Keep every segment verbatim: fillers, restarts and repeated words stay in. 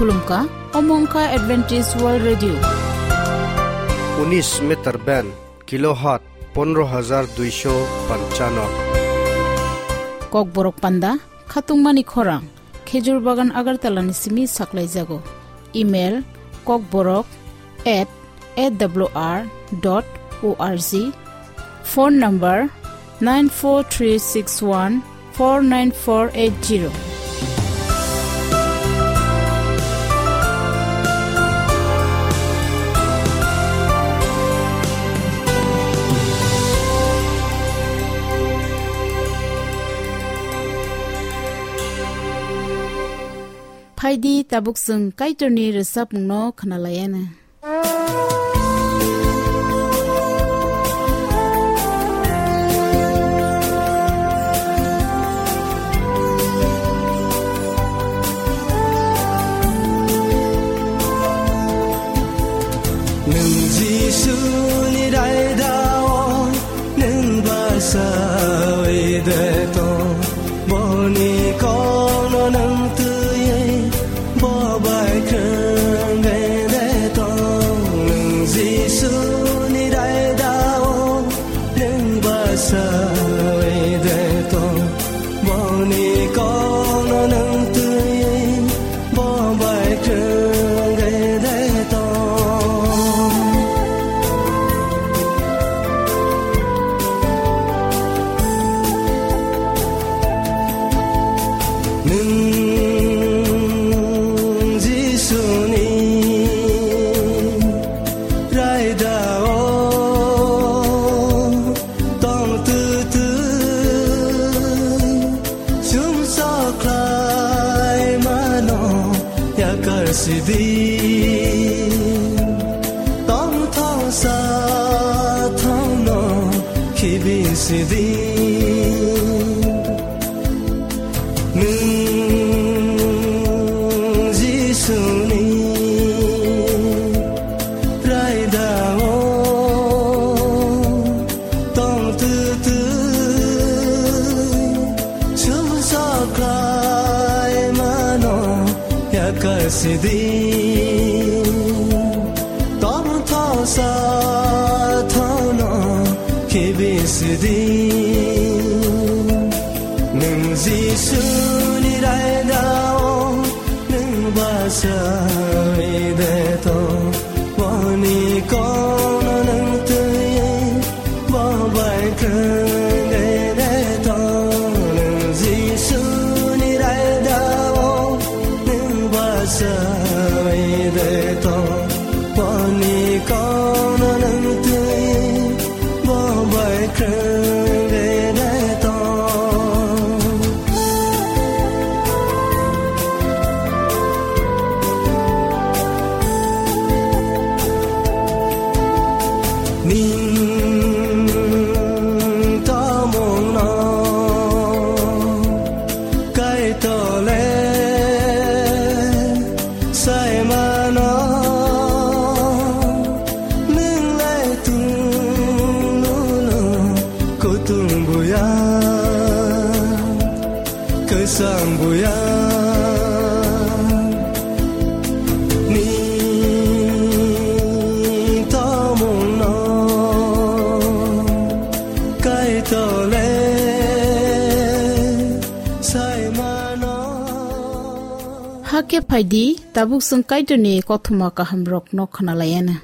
Khulumkha, omo wngkha Adventist World Radio. Unis meter band, kilohertz pondro hajar duisho panchano. Kokborok panda, khatungmani khorang, Khejur Bagan Agartala ni simi saklaijago. Email, kokborok at A W R dot O R G. Phone number nine four three six one four nine four eight zero. Phaidi tabuk chwng Kaitorni rwchapmungno khwnalaiana. Nwng Jisuni raidao, nwng basaui de tong. Boni kokno nwng twiwi, bo bai kwrwngwi de tong. Nwng Jisuni raidao, nwng basaui de tong. Boni kokno nwng twiwi, bo bai kwrwngwi de tong. Nwng Jisuni raidao tong twtwi, sumsok khlai mano yakar sidi. Tongthok sathokno khibi sidi. Nwng Jisuni raidao tong twtwi, sumsok khlai mano yakar sidi. Tongthok sathokno khibi sidi. Nwng Jisuni raidao, nwng basaui de tong. Boni kokno nwng twiwi, bo bai kwrwngwi de tong. Nwng Jisuni raidao, nwng basaui de tong. Boni kokno nwng twiwi, bo bai kwrwngwi de tong. Nwng tongmungno Kaitor le sai mano, nwng le tunglulo kutung buya, kwchang buya. Nwng tongmungno Kaitor le sai mano. Hakhe phaidi, tabuk chwng Kaitorni kothoma kahamrokno khwnalaiana.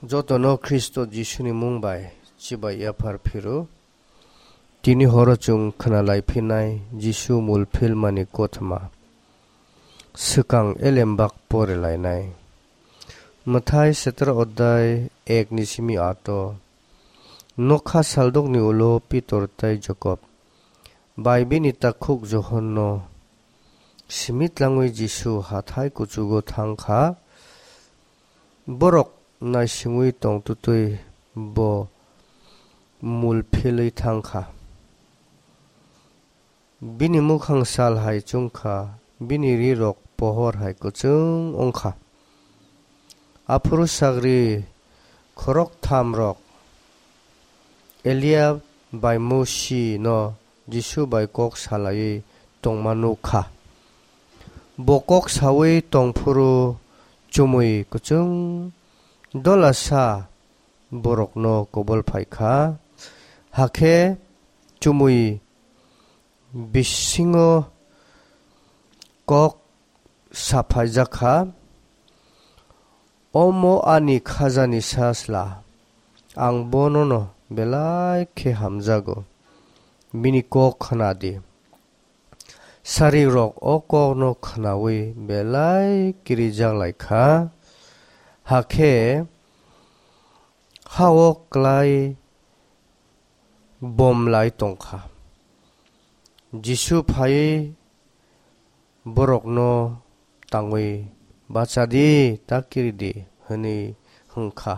Jotono Khristo Jisuni mung bai chibai yaphar phiro. Tini horo chwng khwnalai phinai Jisu mul philmani kothoma. Swkang elembak pore lainai. Mwthai setero odai ek ni simi ato. Nokha saldokni ulo Pitor tei Jakob bai bini takhuk Johonno simi tlangwi Jisu hathai kuchugo thang kha. Borok naisingwi tongtwtwi bo mul philwi thang kha. Bini mukhang sal hai chong kha, bini rirok pohor hai kwchwng wng kha. Aphuru sagri khorokthamrok Eliya bai Mosi no Jisu bai kok salaiwi tongma nuk kha. Bo kok saui tong phuru chumui kwchwng dola sa borokno kobol phai kha. Hakhe chumui bisingo kok saphaijak kha, "Omo ani khajani sajla, ang bonono belai khe hamjago, bini kok khna di." Sarirok o kokno khnaui belai kirijak lai kha, hakhe ha-o klai bom lai tong kha. Jisu phaiwi borokno tangwi, "Bacha di, ta kiri di," hwnwi hwn kha.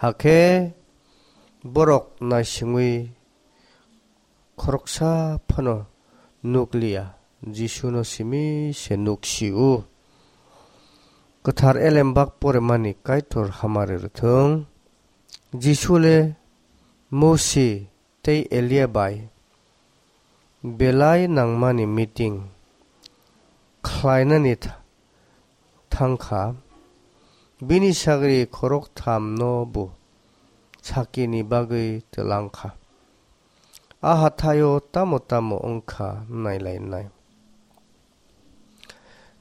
Hakhe borok naisingwi khoroksa phano nuk liya, Jisuno simi se nuk si-o. Kwthar elembak poremani Kaitor hamari rwthwng. Jisu le Mosi tei Elia bai belai nangmani meeting khlainani tha-, thang kha. Bini sagri khoroktham no bo sakini bagwi twlang kha. A hathaio tamo tamo wng kha nailainai.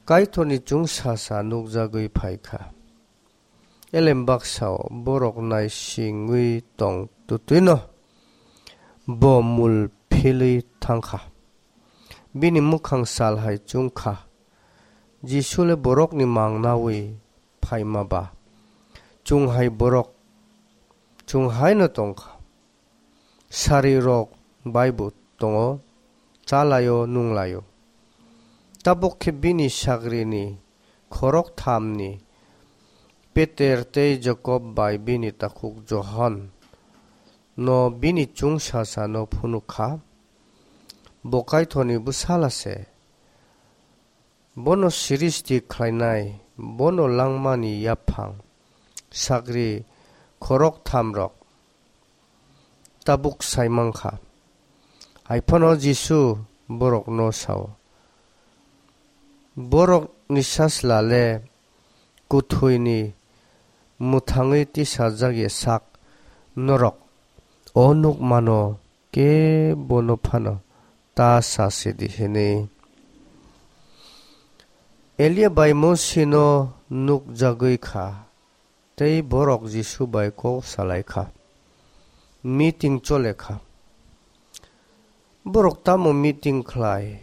Kaitorni chwngsasa nukjagwi phai kha. Elembak sao borok naisingwi tong twtwino bo mul philwi thang kha. Bini mwkhang sal hai chwng kha. Jisu le borokni mang naui phaima ba chwng hai borok chwng haino tong kha. Sarirok bai bo tongo, cha lai-o, nung lai-o. Tabuk khe bini sagrini khorok thamni Peter tei Jakob bai bini takhuk Johon no bini chwngsasa no phunuk kha. Bo Kaitorni bwsala se. Bono siristi khlainai, bono langmani yaphang sagri khorok thamrok tabuk sai mankha. Haiphano Jisu borokno sao, "Borokni sajla le kuthuini mwthangwi tisajak ya sak norok o nukmano kebono phano ta sasidi," hwnwi. Elia bai Mosino nukjagwi kha, tei borok Jisu bai kok salai kha. Meeting chole kha. Borok tamo meeting khlai,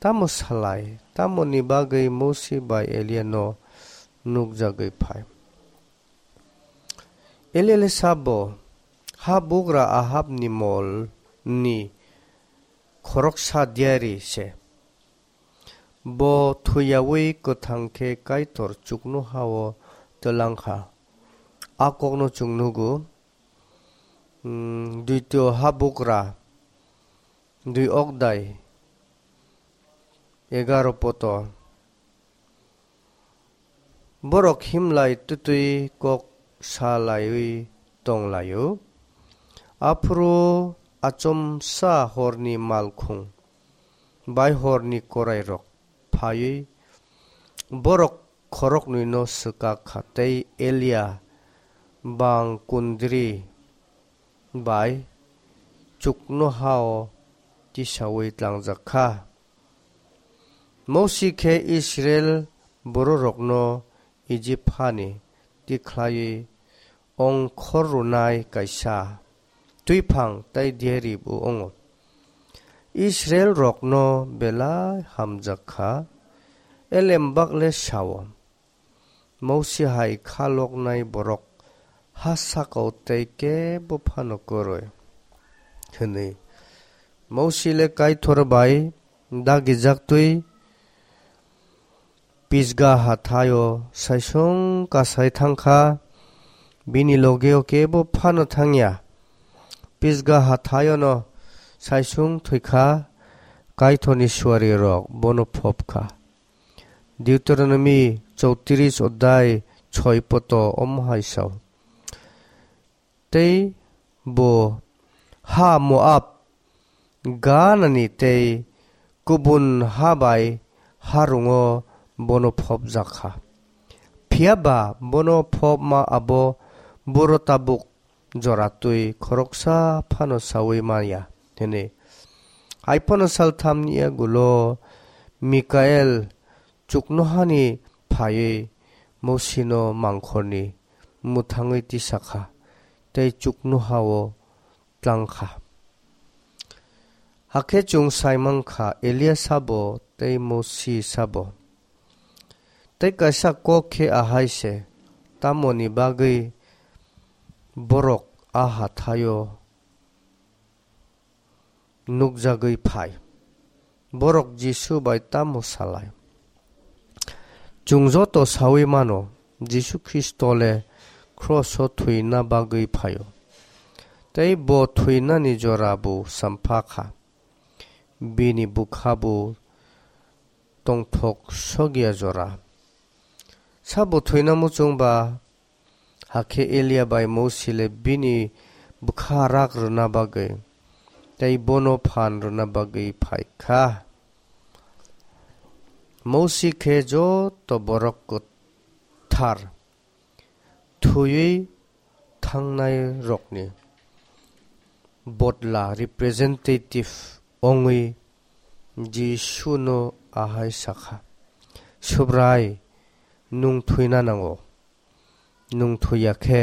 tamo salai, tamoni bagwi Mosi bai Eliano nukjagwi phai. Eliale sabo, ha bugra Ahabni molni khoroksa diari se. Bo thwiyaui kwthang khe Kaitor chuknoha-o twlang kha. A kokno chwng nugo, mm, Duitio Habugra, dui okdai, egaro poto. Borok himlai twtwi kok sa laiwi tong lai-o. Aphuru achomsa horni malkhung bai horni korairok phaiwi borok khoroknwino swkak kha tei Elia bang kundri bai chuknoha-o tisaui tlangjak kha. Mosi khe Israil bororokno Ijip hani tikhlaiwi ongkhor rwnai kaisa twiphang tei diari bo wngo. Israilrokno belai hamjak kha, elembak le sao, Mosi hai kha loknai borok ha saka-o tei kebo phano kwrwi, hwnwi. Mosi le Kaitor bai dagijaktwi Pisga hathai-o saisung kasai thang kha, bini loge-o kebo phano thang ya. Pisga hathai-o'-no saisung thwi kha, Kaitorni suarirok bono phop kha. Deuteronomi chowtris odai choi poto omo hai sao. Tei bo ha Moab ganani tei kubun ha bai harungo bono phopjak kha. Phiya ba bono phopma abo buro tabuk jora twi khoroksa phano saui manya hwnwi. Hai phano salthamni yagulo Mikael chuknohani phaiwi Mosino mangkhorni mwthangwi tisa kha tei chuknohao tlang kha. Hakhe chwng sai man kha, Elia sabo tei Mosi sabo. Tei kaisa kok khe ahai se, tamoni bagwi borok a hathaio nukjagwi phai? Borok Jisu bai tamo salai? Chwng joto saui mano, Jisu Khristo le kroso thwina bagwi phaio. Tei bo thwinani jora bo sampha kha. Bini bwkha bo tongthok sokya jora. Sabo thwina muchung ba? Hakhe Elia bai Mosi le bini bwkha rak rwna bagwi tei bono phan rwna bagwi phai kha. Mosi khe joto borok kwthar thwiwi thangnairokni bodla representative wngwi Jisuno ahai sakha, "Subrai, nwng thwina nango. Nwng thwiya khe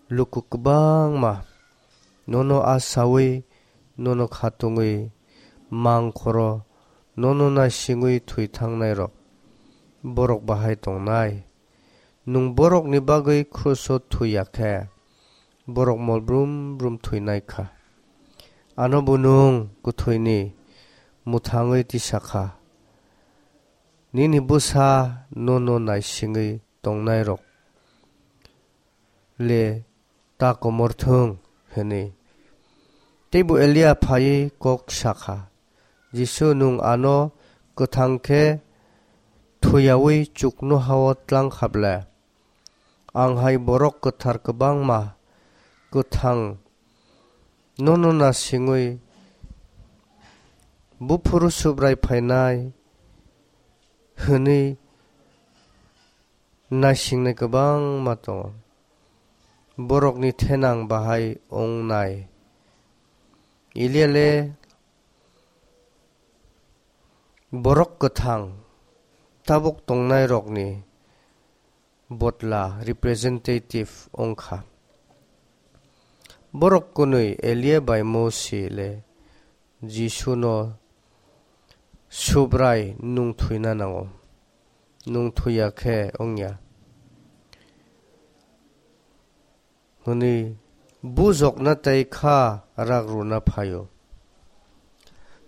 luku kwbangma nono asaui, nono khatungwi mangkhoro, nono naisingwi thwi thangnairok borok bahai tongnai. Nwng borokni bagwi kruso thwiya khe borok mol brum brum thwinai kha. Ano bo nwng kwthwini mwthangwi tisa kha. Nini bwsa nono naisingwi tongnairok le ta komor thung," hwnwi. Teibo Elia phaiwi kok sakha, "Jisu, nwng ano kwthang khe thwiyaui chuknohao tlang kha ble? Ang hai borok kwthar kwbangma kwthang nono naisingwi, 'Buphuru Subrai phainai,' hwnwi naisingnai kwbangma tongo. Borokni thenang bahai wngnai." Elia le borok kwthang tabuk tongnairokni bodla representative wngkha. Borok kwnwi Elia bai Mosi le Jisuno, "Subrai, nwng thwina nango. Nwng thwiya khe wngya," hwnwi bujokna tei kha rak rwna phaio.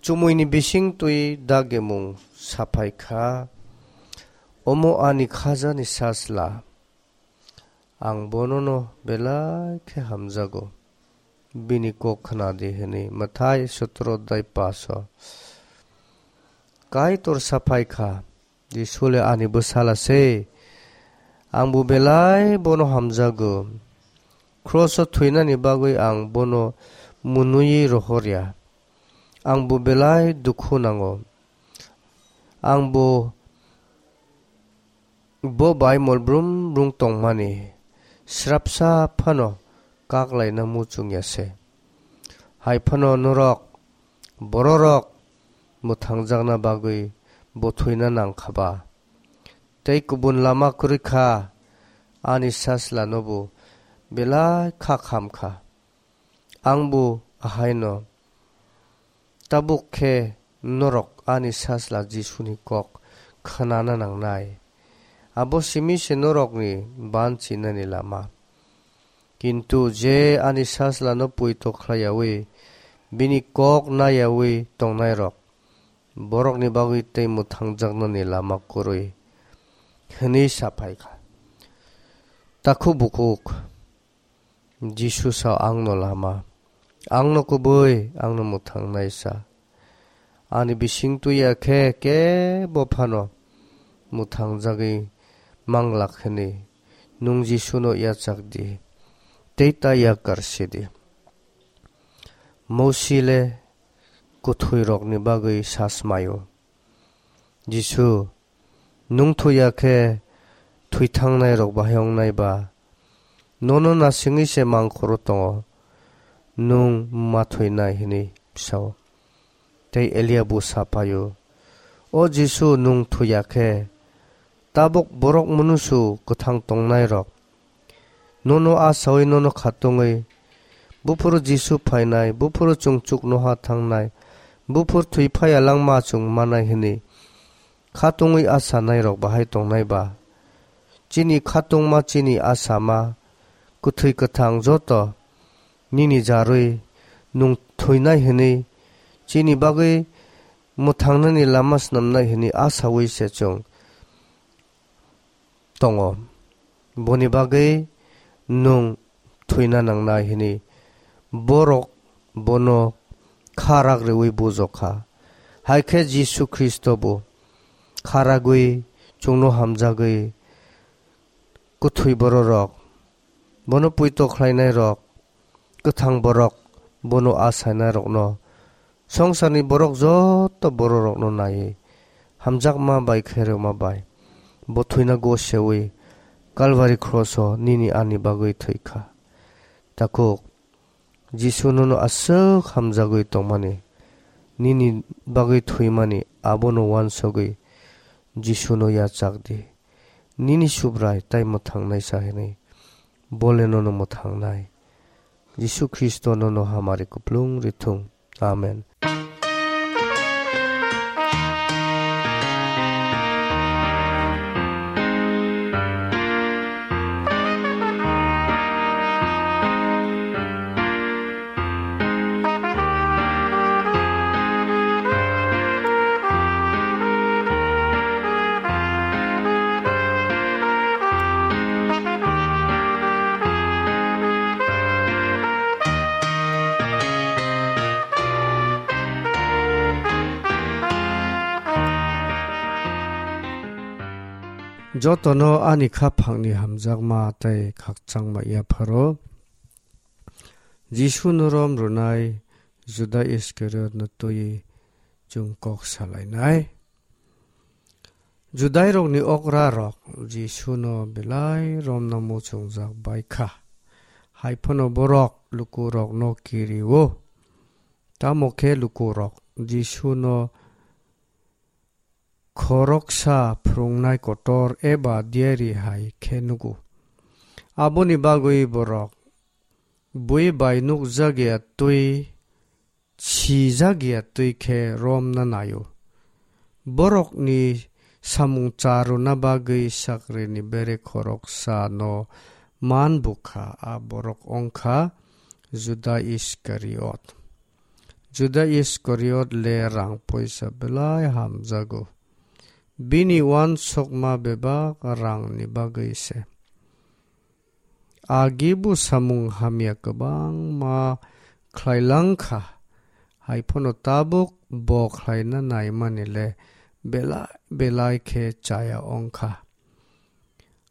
Chumuini bising twi dagemung saphai kha, "Omo ani khajani sajla, ang bonono belai khe hamjago, bini kok khna di," hwnwi. Mathai sotro adhyay paso. Kaitor saphai kha, "Jisu le ani bwsala se. Ang bo belai bono hamjago. Kroso thwinani bagwi ang bono mwnwi rohorya. Ang bo belai dukhu nango. Ang bo, bo bai mol brum brum tongmani srapsa phano kaklaina muchungya se. Hai phano norok bororok mwthangjakna bagwi bo thwina nang kha ba? Tei kubun lama kwrwi kha, ani sajlano bo belai kha kham kha. Ang bo ahaino. Tabuk khe norok ani sajla Jisuni kok khnana nangnai. Abo simi se norokni banchinani lama. Kintu je ani sajlano poito khlaiyaui, bini kok naiyaui tongnairok, borokni bagwi tei mwthangjaknani lama kwrwi," hwnwi sa phai kha. Takhuk bukhuk Jisu sa, "Angno lama, angno kubui, angno mwthangnai sa. Ani bising twi ya khe kebo phano mwthangjagwi manglak hwnwi nwng Jisuno yachak di tei ta yakar si di." Mosi le kwthwirokni bagwi sa swmaio. Jisu, nwng thwi ya khe thwi thangnairok bahai wngnai ba? Nono nasingwi se mangkhoro tongo, nwng ma thwinai, hwnwi sa-o. Tei Elia bo sa phai-o, "O Jisu, nwng thwi ya khe tabuk borok munusu kwthang tongnairok nono achaui nono khatungwi, buphuru Jisu phainai, buphuru chwng chuknoha thangnai, buphuru thwi phaiya langma chwng manai hwnwi khatungwi achanairok bahai tongnai ba? Chini khatungma, chini achama, kwthwi kwthang joto nini jarwi nwng thwinai hwnwi, chini bagwi mwthangnani lama snamnai hwnwi achaui se chwng tongo. Boni bagwi nwng thwina nangnai," hwnwi borok bono kha rak rwui bujokha. Hai khe Jisu Khristo bo kha ragwi chwngno hamjagwi kwthwi bororok, bono poito khlainairok, kwthang borok, bono achainairokno, songsarni borok joto bororokno naiwi, hamjakma bai khairokma bai bo thwina goseui Kalvari kroso nini ani bagwi thwikha. Takhuk, Jisu nono aswk hamjagwi tongmani, nini bagwi thwimani, abono uansugwi Jisuno yachak di. Nini Subrai tai mwthangnaisa hwnwi, bole nono mwthangnai. Jisu Khristo nono hamari kuplung rithung. Amen. Jotono ani khaphangni hamjakma tei khakchangma yapharo Jisuno rom rwnai Juda Iskariotno twiwi chwng kok salainai. Judairokni okrarok Jisuno belai romna muchungjak bai kha, hai phano borok lukurokno kiri-o. Tamo khe lukurok Jisuno khoroksa phrwngnai kotor eba diari hai khe nugo. Aboni bagwi borok bui bai nukjakya twi, sijakya twi khe romna nai-o. Borokni samung cha rwna bagwi sakrini bere khoroksano man bukha, a borok wngkha Juda Iskariot. Juda Iskariot le rang poisa belai hamjago. Bini uansukma bebak rangni bagwi se. Agi bo samung hamya kwbangma khlai lang kha, hai phano tabuk bo khlaina naimani le belai belai khe chaya wng kha.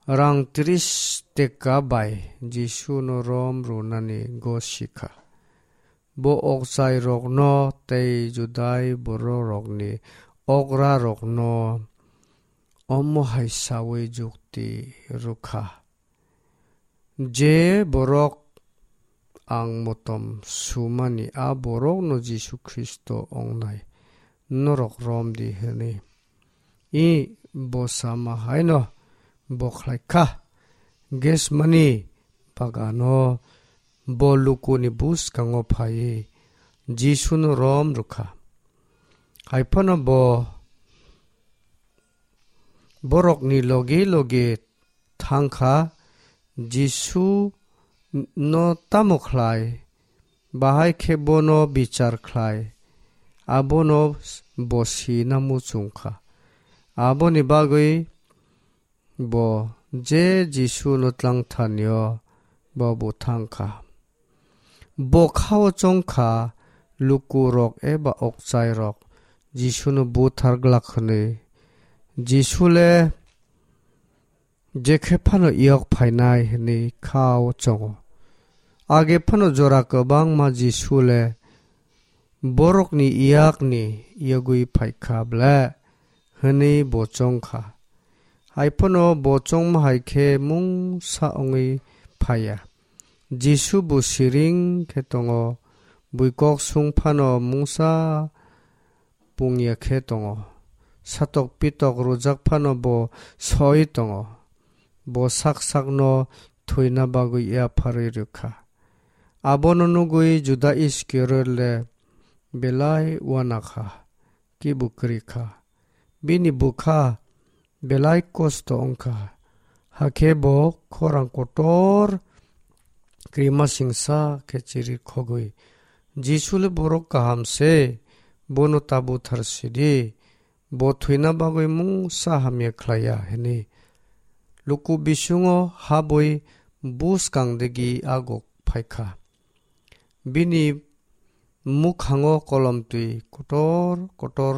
Rang tris teka bai Jisuno rom rwnani gosi kha. Bo okchairokno tei Judai bororokni okrarokno omo hai saui jukti rw kha, "Je borok ang motom sumani, a borokno Jisu Khristo wngnai norok rom di," hwnwi. I bo sama haino bo khlai kha. Getsemani bagano bo lukuni bwskango phaiwi Jisuno rom rw kha. Hai phano bo borokni logi logi thang kha, Jisu no tamo khlai, bahai khe bono bichar khlai, abono bo sina muchung kha. Aboni bagwi bo je Jisu no tlangthani-o bo bo thang kha. Bo kha-o chong kha, lukurok eba okchairok Jisuno buthar glak hwnwi. Jisu le jekhe phano yok phainai hwnwi kha-o chongo. Age phano jora kwbangma Jisu le borokni yakni yogwi phai kha ble, hwnwi bo chong kha. Hai phano bo chongma hai khe mungsa wngwi phai ya. Jisu bo siring khe tongo, bui kok sung phano mungsa pung ya khe tongo. Satok pitok rwjak phano bo soi tongo. Bo sak sakno thwina bagwi yapharwi rw kha. Abono nugwi Juda Iskariot le belai uana kha, kibu kwrwi kha. Bini bwkha belai kosto wng kha. Hakhe bo khorang kotor krimasingsa khe chiri khogwi Jisu le borok kaham se, bono ta buthar sidi, bo thwina bagwi mungsa hamya khlai ya, hwnwi luku bisingo habwi buskang digi agok phai kha. Bini mukhango kolom twi kotor kotor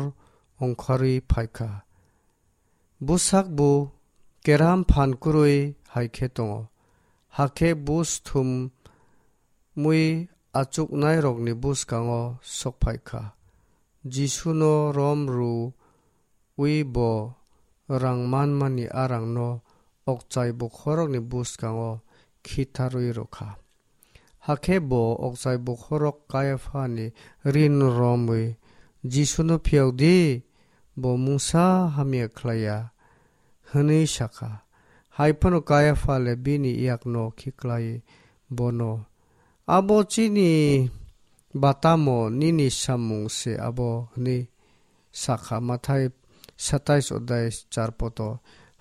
ongkharwi phai kha. Bwsak bo keram phan kwrwi hai khe tongo. Hakhe bus thumwi achuknairokni bwskango sok phai kha. Jisuno rom rwui bo rang manmani a rangno okchai bokhorokni bwskango khitharwi rw kha. Hakhe bo okchai bokhorok Kaiaphani rin romwi Jisuno phiyok di, bo mungsa hamya khlai ya, hwnwi sa kha. Hai phano Kaiapha le bini yakno khiklai bono, "Abo chini ba tamo, nini samung se abo?" hwnwi sa kha. Mathai satais odai char poto.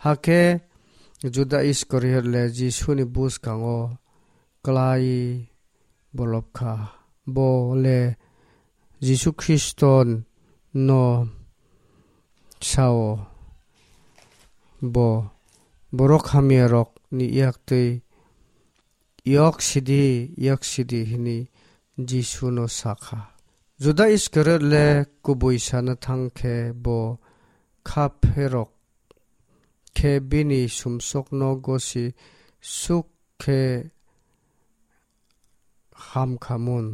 Hakhe Juda Iskariot le Jisuni bwskango klai bolop kha. Bo le Jisu Khristo no sao, bo borok hamya rok ni yak twi, "Yok sidi, yok sidi," hwnwi Jisuno sa kha. Juda Iskariot le kubui sana thang khe bo kha pherok khe bini sumsokno gosi suk khe ham kha mun.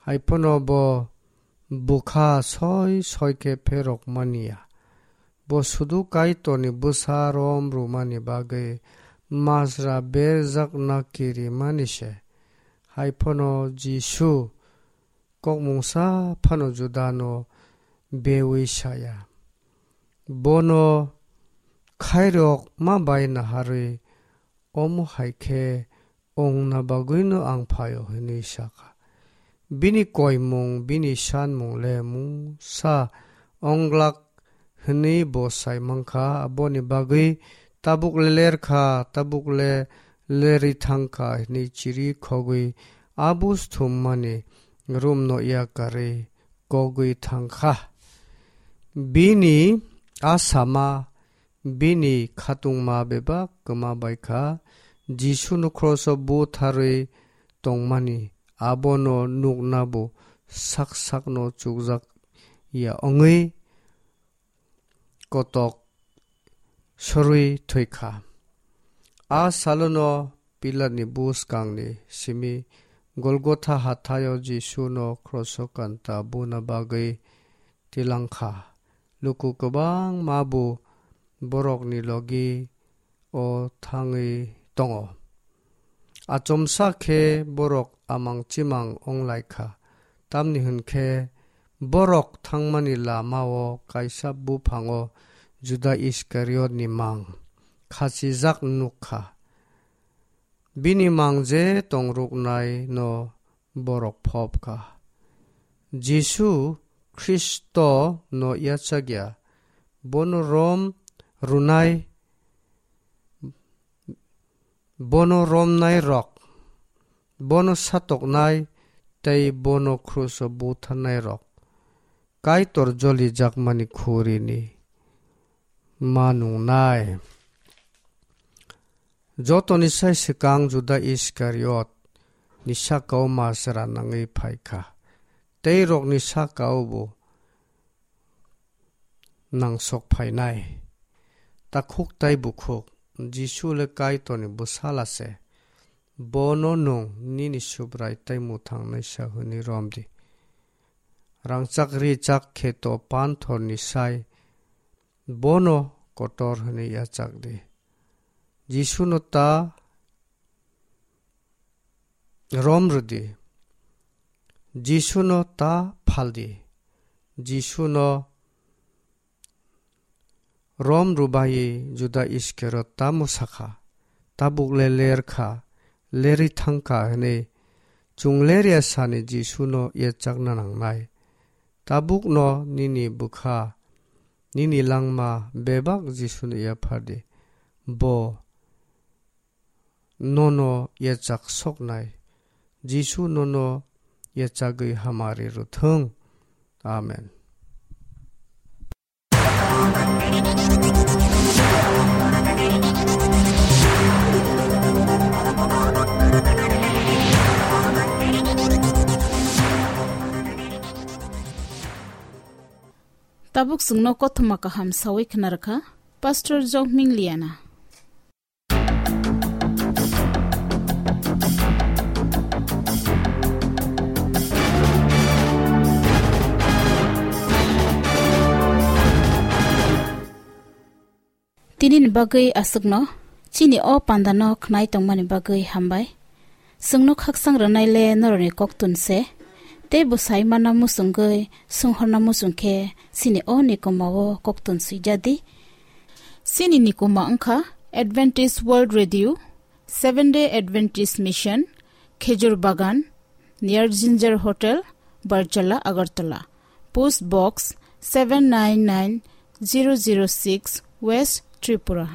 Hai phano bo bwkha soi soi khe pherok mani ya. Bo sudu Kaitorni bwsa rom rwmani bagwi majra berjakna kirimani se. Hai phano Jisu kok mungsa phano Judano beui sa ya. Bono khairok ma bai naharwi, "Omo hai khe ongna bagwino ang phaio," hwnwi sa kha. Bini koimung, bini sanmung le mungsa ong glak hwnwi bo sai man kha. Aboni bagwi, "Tabuk le ler kha, tabuk le lerwi thang kha," hwnwi chiri khogwi a bus thummani roomno yakarwi kogwi thang kha. Bini a sama, bini khatungma bebak kwma bai kha. Jisuno kroso butharwi tongmani abono nukna bo sak sakno chukjak ya wngwi kotok sorwi thwi kha. A salono Pilatni buskangni simi Golgotha hathaio Jisuno kroso kanta buna bagwi tilang kha. Luku kwbangma bo borokni logi o thangwi tongo. Achomsa khe borok amang chimang wng lai kha, tamni hwn khe borok thangmani lama-o kaisa buphango Juda Iskariotni mang khachijak nuk kha. Bini mang je tongruknaino borok phop kha. Jisu Khristo no yachak ya, bono rom rwnai, bono romnai rok, bono satoknai tei bono kruso butharnai rok Kaitor jolijakmani khurini ma nungnai. Jotoni sai swkang Juda Iskariot ni sakao majra nangwi phai kha, tei rokni sakao bo nangsok phainai. Takhuk tai bukhuk, Jisu le Kaitorni bwsala se. Bono nwng nini Subrai tei mwthang naisa hwnwi rom di. Rangchak richak kheto panthorni sai bono kotor hwnwi yachak di. Jisuno ta rom rwdi. Jisuno ta phaldi. Jisuno rom rwbaiwi Juda Iskariot tamo sakha, "Tabuk le ler kha, lerwi thang kha," hwnwi chwng ler ya sani Jisuno yachakna nangnai. Tabukno nini bwkha, nini langma bebak Jisuno yaphardi. Bo nono yachak soknai. Jisu nono yachagwi hamari rwthwng. Amen. Tabuk chwngno kothoma kaham sawi khna rwkha Pastor Jokming Liana. Tini ni bagwi aswkno, chini o panda no khnai tongmani bagwi hambai. Chwngno khaksang rwnai le norokni koktun se, tei bwsai mana muchungwi swnghorna muchung khe chini o nikoma o koktun swijadi. Chini nikoma wngkha Adventist World Radio, Seventh Day Adventist Mission, Khejur Bagan, near Ginger Hotel, Barchala, Agartala. Post Box seven nine nine zero zero six, West Tripura.